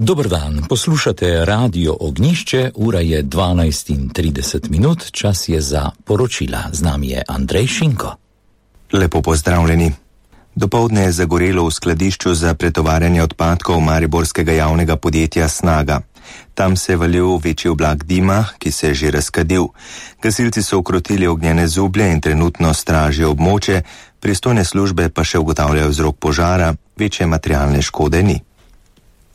Dober dan, poslušate Radio Ognjišče, ura je 12:30, čas je za poročila. Z nami je Andrej Šinko. Lepo pozdravljeni. Dopoldne je zagorelo v skladišču za pretovarjanje odpadkov mariborskega javnega podjetja Snaga. Tam se je valil večji oblak dima, ki se je že razkadil. Gasilci so ukrotili ognjene zublje in trenutno stražijo območje, pristojne službe pa še ugotavljajo vzrok požara, večje materialne škode ni.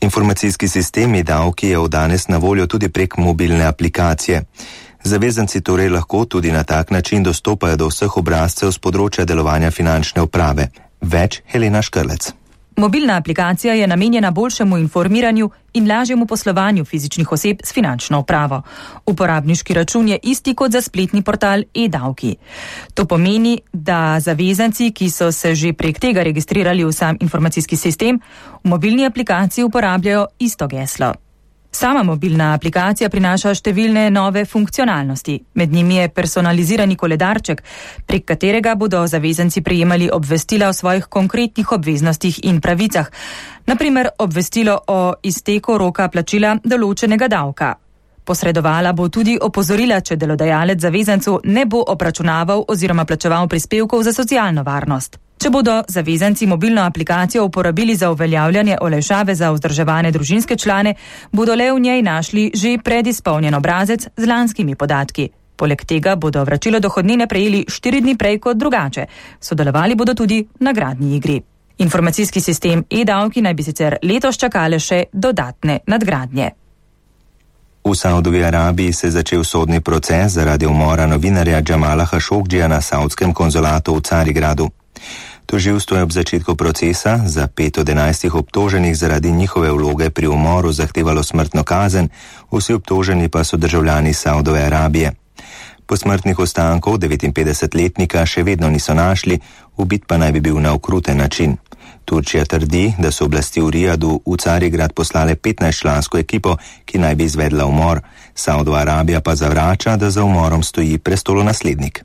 Informacijski sistem e-davki je od danes na voljo tudi prek mobilne aplikacije. Zavezanci torej lahko tudi na tak način dostopajo do vseh obrazcev z področja delovanja finančne uprave. Več Helena Škrlec. Mobilna aplikacija je namenjena boljšemu informiranju in lažjemu poslovanju fizičnih oseb s finančno upravo. Uporabniški račun je isti kot za spletni portal e-davki. To pomeni, da zavezanci, ki so se že prek tega registrirali v sam informacijski sistem, v mobilni aplikaciji uporabljajo isto geslo. Sama mobilna aplikacija prinaša številne nove funkcionalnosti. Med njimi je personalizirani koledarček, prek katerega bodo zavezanci prejemali obvestila o svojih konkretnih obveznostih in pravicah. Naprimer, obvestilo o izteku roka plačila določenega davka. Posredovala bo tudi opozorila, če delodajalec zavezancu ne bo obračunaval oziroma plačeval prispevkov za socialno varnost. Če bodo zavezanci mobilno aplikacijo uporabili za uveljavljanje olajšave za vzdrževane družinske člane, bodo le v njej našli že predizpolnjen obrazec z lanskimi podatki. Poleg tega bodo vračilo dohodnine prejeli 4 dni prej kot drugače. Sodelovali bodo tudi v nagradni igri. Informacijski sistem e-davki naj bi sicer letos čakale še dodatne nadgradnje. V Saudovi Arabiji se je začel sodni proces zaradi umora novinarja Džamala Hašogdžija na saudskem konzulatu v Carigradu. Tožilstvo je ob začetku procesa za 5 od 11 obtoženih zaradi njihove vloge pri umoru zahtevalo smrtno kazen, vsi obtoženi pa so državljani Saudove Arabije. Posmrtnih ostankov 59-letnika še vedno niso našli, ubit pa naj bi bil na okruten način. Turčija trdi, da so oblasti v Rijadu v Carigrad poslale 15-člansko ekipo, ki naj bi izvedla umor. Saudova Arabija pa zavrača, da za umorom stoji prestolonaslednik.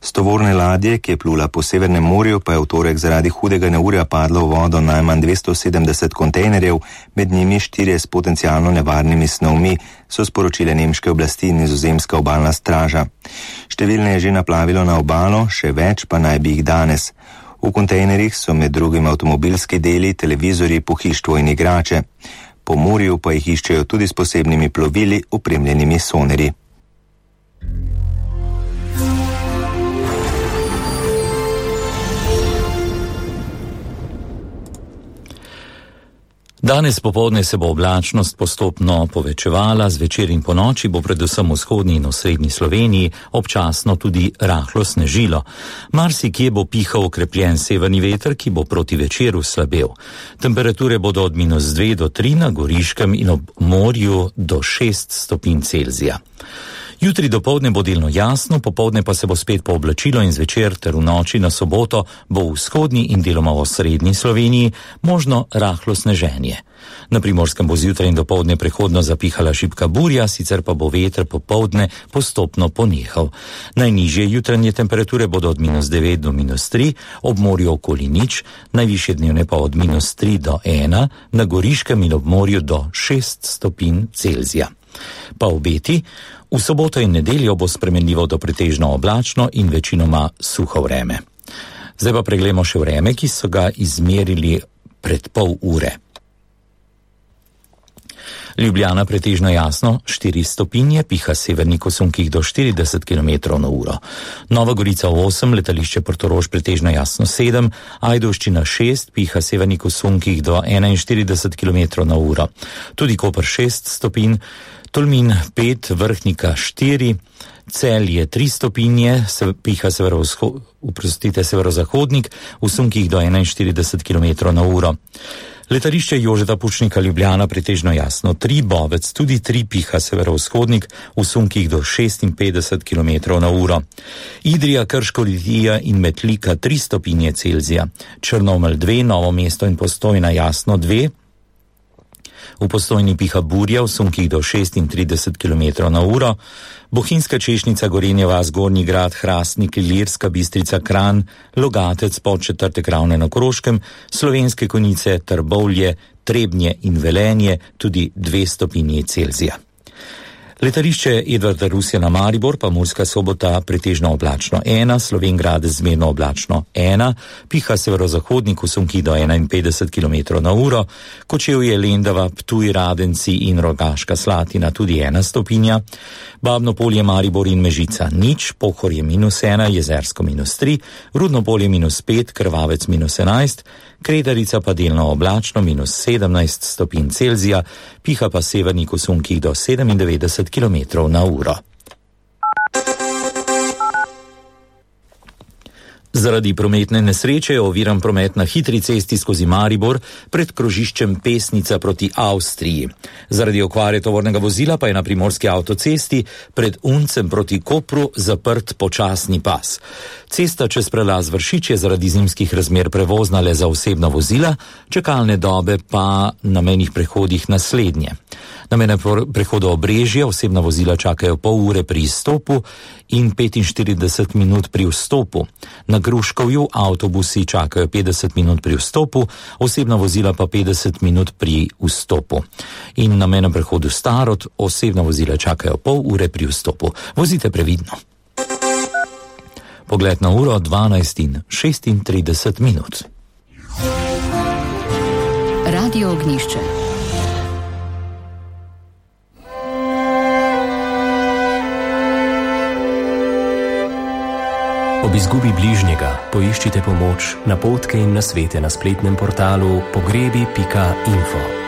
S tovorne ladje, ki je plula po Severnem morju, pa je v torek zaradi hudega neurja padlo v vodo najmanj 270 kontejnerjev, med njimi 4 s potencialno nevarnimi snovmi, so sporočile nemške oblasti in nizozemska obalna straža. Številne je že naplavilo na obalo, še več pa naj bi jih danes. V kontejnerjih so med drugim avtomobilski deli, televizorji, pohištvo in igrače. Po morju pa jih iščejo tudi s posebnimi plovili, opremljenimi sonerji. Danes popoldne se bo oblačnost postopno povečevala, zvečer in ponoči bo predvsem v vzhodni in v srednji Sloveniji občasno tudi rahlo snežilo. Marsikje bo pihal okrepljen severni veter, ki bo proti večeru slabel. Temperature bodo od -2 do 3 na Goriškem in ob morju do 6 stopinj Celzija. Jutri dopoldne bo delno jasno, popoldne pa se bo spet pooblačilo in zvečer ter v noči na soboto bo v vzhodni in deloma v srednji Sloveniji možno rahlo sneženje. Na Primorskem bo zjutraj in dopoldne prehodno zapihala šibka burja, sicer pa bo veter popoldne postopno ponehal. Najnižje jutranje temperature bodo od -9 do -3, ob morju okoli 0, najvišje dnevne pa od -3 do 1, na Goriškem in ob morju do 6 stopinj Celzija. Pa obeti, v soboto in nedeljo bo spremenljivo do pretežno oblačno in večinoma suho vreme. Zdaj pa preglejmo še vreme, ki so ga izmerili pred pol ure. Ljubljana pretežno jasno, 4 stopinje, piha severnik v sunkih do 40 km/h. Nova Gorica 8, letališče Portorož pretežno jasno 7, Ajdovščina 6, piha severnik v sunkih do 41 km/h. Tudi Koper 6 stopinj, Tolmin 5, Vrhnika 4, Celje 3 stopinje, piha severozahodnik v sunkih do 41 km/h. Letališče Jožeta Pučnika Ljubljana pretežno jasno 3, Bovec tudi 3, piha severovzhodnik v sunkih do 56 km/h. Idrija, Krško, Litija in Metlika 3 stopinje Celzija, Črnomelj 2, Novo mesto in Postojna jasno 2, V Postojni piha burja v sunkih do 36 km/h, Bohinjska Češnica, Gorenjeva, Zgornji Grad, Hrastnik, Ilirska Bistrica, Kranj, Logatec, Podčetrtek, Ravne na Koroškem, Slovenske Konjice, Trbovlje, Trebnje in Velenje tudi 2 stopinji Celzija. Letališče Edvarda Rusjana Maribor pa Murska Sobota pretežno oblačno 1, Slovenj Gradec zmerno oblačno 1, piha severozahodnik v sunkih do 51 km/h, Kočevje, Lendava, Ptuj, Radenci in Rogaška Slatina tudi 1 stopinja, Babno Polje, Maribor in Mežica 0, Pohorje -1, Jezersko -3, Rudno Polje -5, Krvavec -11, Kredarica pa delno oblačno -17 stopinj Celzija, piha pa severnik v sunkih do 97 km/h. Zaradi prometne nesreče je oviran promet na hitri cesti skozi Maribor pred krožiščem Pesnica proti Avstriji. Zaradi okvare tovornega vozila pa je na primorski avtocesti pred Uncem proti Kopru zaprt počasni pas. Cesta čez prelaz Vršič je zaradi zimskih razmer prevozna le za osebna vozila, čakalne dobe pa na mejnih prehodih naslednje. Na mejnem prehodu Obrežje osebna vozila čakajo pol ure pri izstopu in 45 minut pri vstopu. Na Gruškovju avtobusi čakajo 50 minut pri vstopu, osebna vozila pa 50 minut pri vstopu. In na mejnem prehodu Starod osebna vozila čakajo pol ure pri vstopu. Vozite previdno. Pogled na uro 12:36. Radio Ognjišče. Ob izgubi bližnjega poiščite pomoč, napotke in nasvete na spletnem portalu pogrebi.info.